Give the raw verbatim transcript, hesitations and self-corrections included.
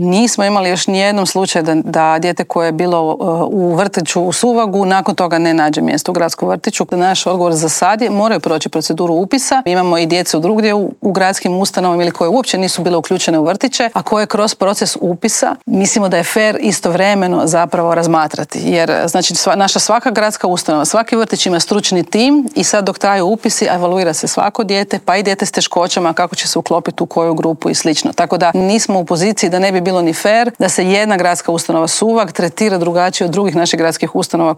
Nismo imali još nijednom slučaju da, da dijete koje je bilo u vrtiću u Suvagu nakon toga ne nađe mjesto u gradskom vrtiću. Naš odgovor za sad je moraju proći proceduru upisa. Imamo i djecu drugdje u, u gradskim ustanovama ili koje uopće nisu bile uključene u vrtiće, a koje kroz proces upisa mislimo da je fer istovremeno zapravo razmatrati. Jer znači sva, naša svaka gradska ustanova, svaki vrtić ima stručni tim i sad dok traju upisi evaluira se svako dijete, pa i dijete s teškoćama kako će se uklopiti u koju grupu i slično. Tako da nismo u poziciji da ne bi bilo ni fer da se jedna gradska ustanova Suvag tretira drugačije od drugih naših gradskih ustanova